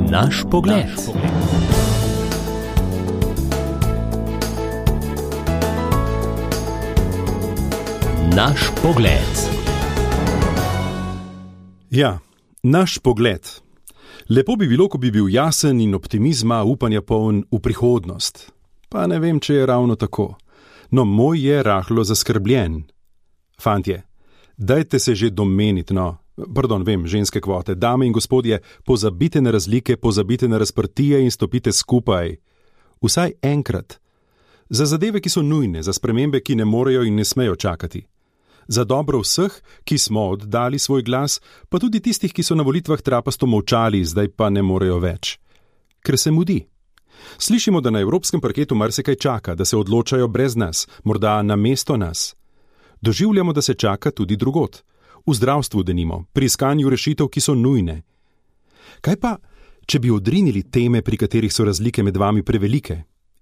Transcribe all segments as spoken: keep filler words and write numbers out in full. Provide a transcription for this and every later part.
Naš pogled. Naš pogled. Ja, naš pogled. Lepo bi bilo, ko bi bil jasen in optimizma, upanja poln v prihodnost. Pa ne vem, če je ravno tako. No, moj je rahlo zaskrbljen. Fantje, dajte se že domeniti, no. Pardon, vem, ženske kvote. Dame in gospodje, pozabite na razlike, pozabite na razprtije in stopite skupaj. Vsaj enkrat. Za zadeve, ki so nujne, za spremembe, ki ne morejo in ne smejo čakati. Za dobro vseh, ki smo oddali svoj glas, pa tudi tistih, ki so na volitvah trapasto molčali, zdaj pa ne morejo več. Ker se mudi. Slišimo, da na evropskem parketu marsikaj čaka, da se odločajo brez nas, morda namesto nas. Doživljamo, da se čaka tudi drugod. V zdravstvu denimo, pri iskanju rešitev, ki so nujne. Kaj pa, če bi odrinili teme, pri katerih so razlike med vami prevelike,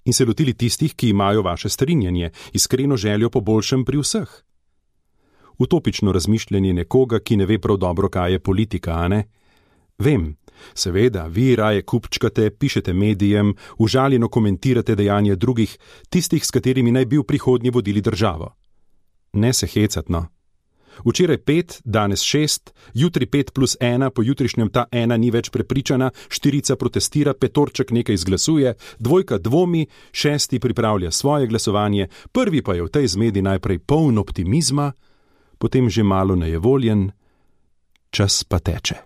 in se lotili tistih, ki imajo vaše strinjanje, iskreno željo po boljšem pri vseh? Utopično razmišljanje nekoga, ki ne ve prav dobro, kaj je politika, a ne? Vem, seveda, vi raje kupčkate, pišete medijem, užaljeno komentirate dejanje drugih, tistih, s katerimi naj bi v prihodnje vodili državo. Ne se hecat, no. Včeraj pet, danes šest, jutri pet plus ena, po jutrišnjem ta ena ni več prepričana, štirica protestira, petorček nekaj izglasuje, dvojka dvomi, šesti pripravlja svoje glasovanje, prvi pa je v tej zmedi najprej poln optimizma, potem že malo nejevoljen, čas pa teče.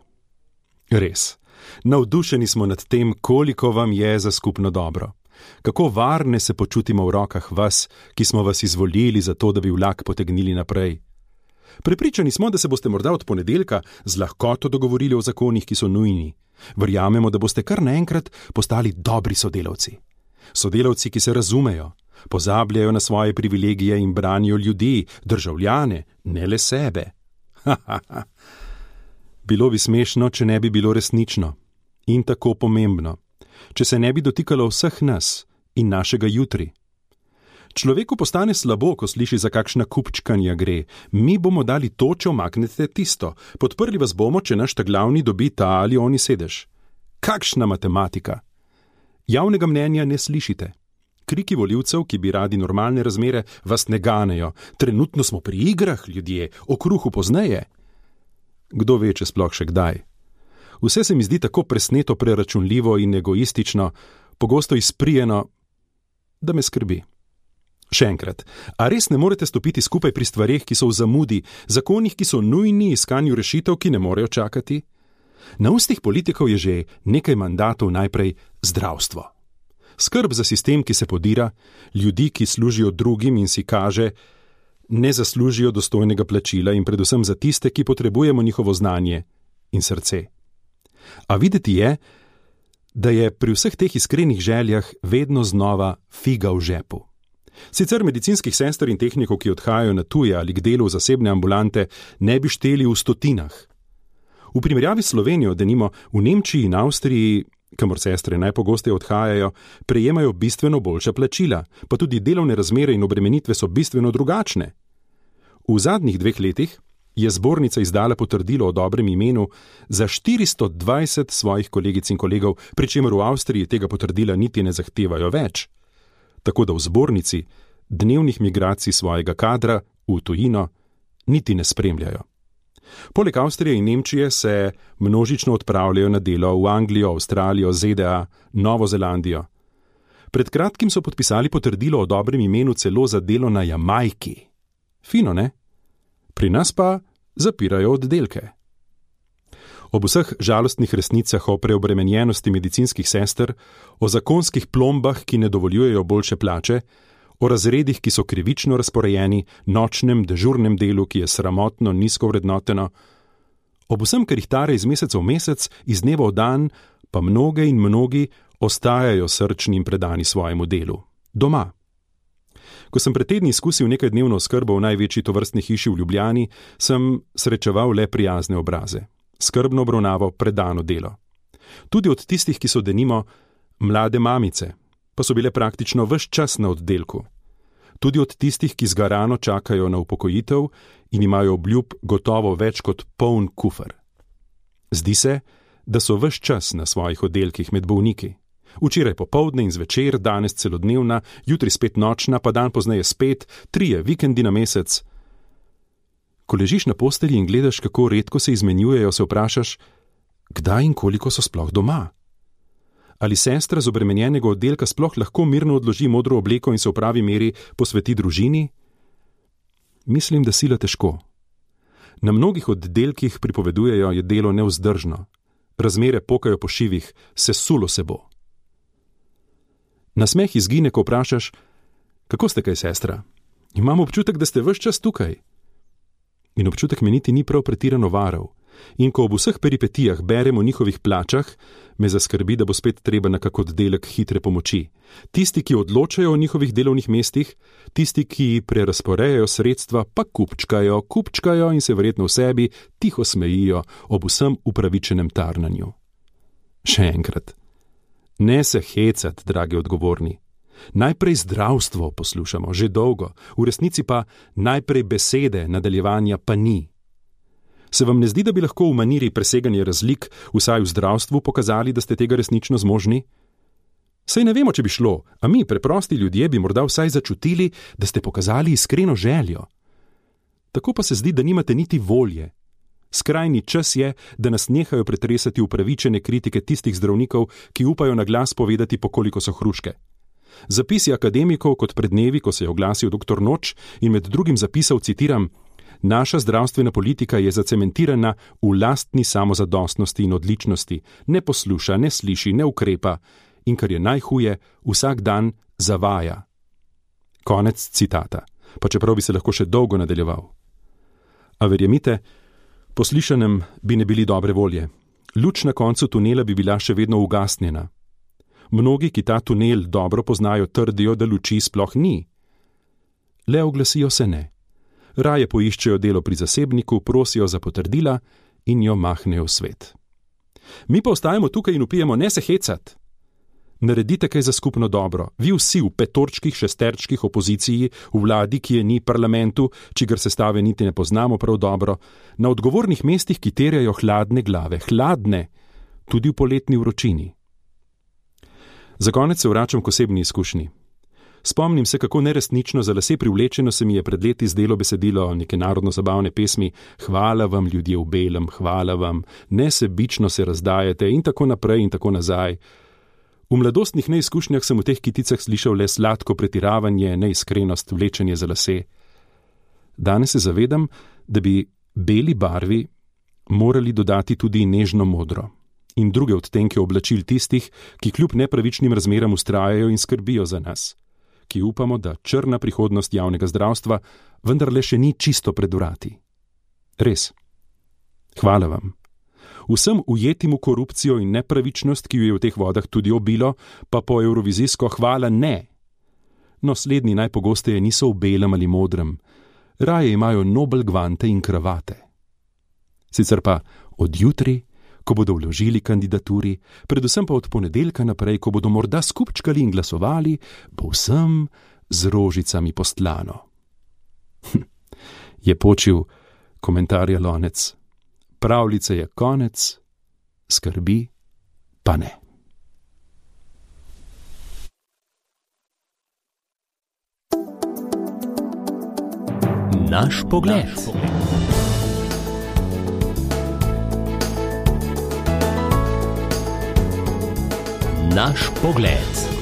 Res, navdušeni smo nad tem, koliko vam je za skupno dobro. Kako varne se počutimo v rokah vas, ki smo vas izvolili za to, da bi vlak potegnili naprej. Prepričani smo, da se boste morda od ponedeljka z lahkoto dogovorili o zakonih, ki so nujni. Verjamemo, da boste kar naenkrat postali dobri sodelavci. Sodelavci, ki se razumejo, pozabljajo na svoje privilegije in branijo ljudi, državljane, ne le sebe. Ha, ha, ha. Bilo bi smešno, če ne bi bilo resnično. In tako pomembno. Če se ne bi dotikalo vseh nas in našega jutri. Človeku postane slabo, ko sliši, za kakšna kupčkanja gre. Mi bomo dali to, če omaknete tisto. Podprli vas bomo, če naš ta glavni dobi ta ali oni sedež. Kakšna matematika! Javnega mnenja ne slišite. Kriki volivcev, ki bi radi normalne razmere, vas ne ganejo. Trenutno smo pri igrah, ljudje, o kruhu pozneje. Kdo ve, če sploh še kdaj? Vse se mi zdi tako presneto preračunljivo in egoistično, pogosto izprijeno, da me skrbi. Še enkrat, a res ne morete stopiti skupaj pri stvareh, ki so v zamudi, zakonih, ki so nujni, iskanju rešitev, ki ne morejo čakati? Na ustih politikov je že nekaj mandatov najprej zdravstvo. Skrb za sistem, ki se podira, ljudi, ki služijo drugim in si kaže, ne zaslužijo dostojnega plačila in predvsem za tiste, ki potrebujemo njihovo znanje in srce. A videti je, da je pri vseh teh iskrenih željah vedno znova figa v žepu. Sicer medicinskih sester in tehnikov, ki odhajajo na tuje ali k delu v zasebne ambulante, ne bi šteli v stotinah. V primerjavi s Slovenijo, denimo v Nemčiji in Avstriji, kamor sestre najpogosteje odhajajo, prejemajo bistveno boljša plačila, pa tudi delovne razmere in obremenitve so bistveno drugačne. V zadnjih dveh letih je zbornica izdala potrdilo o dobrem imenu za štiristo dvajset svojih kolegic in kolegov, pri čemer v Avstriji tega potrdila niti ne zahtevajo več. Tako da v zbornici dnevnih migracij svojega kadra v tujino niti ne spremljajo. Poleg Avstrije in Nemčije se množično odpravljajo na delo v Anglijo, Avstralijo, Z D A, Novo Zelandijo. Pred kratkim so podpisali potrdilo o dobrem imenu celo za delo na Jamajki. Fino, ne? Pri nas pa zapirajo oddelke. Ob vseh žalostnih resnicah o preobremenjenosti medicinskih sester, o zakonskih plombah, ki ne dovoljujejo boljše plače, o razredih, ki so krivično razporejeni, nočnem, dežurnem delu, ki je sramotno, nizko vrednoteno, ob vsem, kar jih tare iz meseca v mesec, iz dneva v dan, pa mnoge in mnogi ostajajo srčni in predani svojemu delu. Doma. Ko sem pred tedni izkusil nekaj dnevno oskrbo v največji tovrstni hiši v Ljubljani, sem srečeval le prijazne obraze. Skrbno obravnavo, predano delo. Tudi od tistih, ki so denimo mlade mamice, pa so bile praktično ves čas na oddelku. Tudi od tistih, ki zgarano čakajo na upokojitev in imajo obljub gotovo več kot poln kufer. Zdi se, da so ves čas na svojih oddelkih med bolniki. Včeraj popoldne in zvečer, danes celodnevna, jutri spet nočna, pa dan pozneje spet, trije vikendi na mesec. Ko ležiš na postelji in gledaš, kako redko se izmenjujejo, se vprašaš, kdaj in koliko so sploh doma. Ali sestra z obremenjenega oddelka sploh lahko mirno odloži modro obleko in se v pravi meri posveti družini? Mislim, da sila težko. Na mnogih oddelkih, pripovedujejo, je delo nevzdržno. Razmere pokajo po šivih, sesulo se bo. Nasmeh izgine, ko vprašaš, kako ste kaj, sestra? Imam občutek, da ste ves čas tukaj. In občutek me niti ni prav pretirano varal. In ko ob vseh peripetijah berem o njihovih plačah, me zaskrbi, da bo spet treba na kak oddelek hitre pomoči. Tisti, ki odločajo o njihovih delovnih mestih, tisti, ki prerasporejajo sredstva, pa kupčkajo, kupčkajo in se verjetno v sebi tiho smejijo ob vsem upravičenem tarnanju. Še enkrat. Ne se hecat, dragi odgovorni. Najprej zdravstvo poslušamo, že dolgo, v resnici pa najprej besede, nadaljevanja pa ni. Se vam ne zdi, da bi lahko v maniri preseganja razlik, vsaj v zdravstvu, pokazali, da ste tega resnično zmožni? Saj ne vemo, če bi šlo, a mi, preprosti ljudje, bi morda vsaj začutili, da ste pokazali iskreno željo. Tako pa se zdi, da nimate niti volje. Skrajni čas je, da nas nehajo pretresati upravičene kritike tistih zdravnikov, ki upajo na glas povedati, po koliko so hruške. Zapisi akademikov, kot pred dnevi, ko se je oglasil doktor Noč in med drugim zapisal, citiram, naša zdravstvena politika je zacementirana v lastni samozadostnosti in odličnosti, ne posluša, ne sliši, ne ukrepa in, kar je najhuje, vsak dan zavaja. Konec citata, pa čeprav bi se lahko še dolgo nadaljeval. A verjemite, po slišanem bi ne bili dobre volje. Luč na koncu tunela bi bila še vedno ugasnjena. Mnogi, ki ta tunel dobro poznajo, trdijo, da luči sploh ni. Le oglasijo se ne. Raje poiščejo delo pri zasebniku, prosijo za potrdila in jo mahnejo v svet. Mi pa ostajamo tukaj in upijemo, ne se hecat. Naredite kaj za skupno dobro. Vi vsi v petorčkih, šesterčkih opoziciji, v vladi, ki je ni, parlamentu, čigar sestave niti ne poznamo prav dobro, na odgovornih mestih, ki terjajo hladne glave, hladne, tudi v poletni vročini. Za konec se vračam k osebni izkušnji. Spomnim se, kako neresnično za lase privlečeno se mi je pred leti zdelo besedilo neke narodno-zabavne pesmi Hvala vam, ljudje v belem, hvala vam, nesebično se razdajate in tako naprej in tako nazaj. V mladostnih neizkušnjah sem v teh kiticah slišal le sladko pretiravanje, neiskrenost, vlečenje za lase. Danes se zavedam, da bi beli barvi morali dodati tudi nežno modro in druge odtenke oblačil tistih, ki kljub nepravičnim razmeram vztrajajo in skrbijo za nas, ki upamo, da črna prihodnost javnega zdravstva vendarle še ni čisto pred vrati. Res. Hvala vam. Vsem ujetim v korupcijo in nepravičnost, ki jo je v teh vodah tudi obilo, pa po evrovizijsko hvala ne. No, slednji najpogosteje niso v belem ali modrem, raje imajo nobel gvante in kravate. Sicer pa od jutri, ko bodo vložili kandidaturi, predvsem pa od ponedeljka naprej, ko bodo morda skupčkali in glasovali, bo vsem z rožicami postlano. Hm, je počil komentarja lonec. Pravljice je konec, skrbi pa ne. Naš pogled. Naš pogled.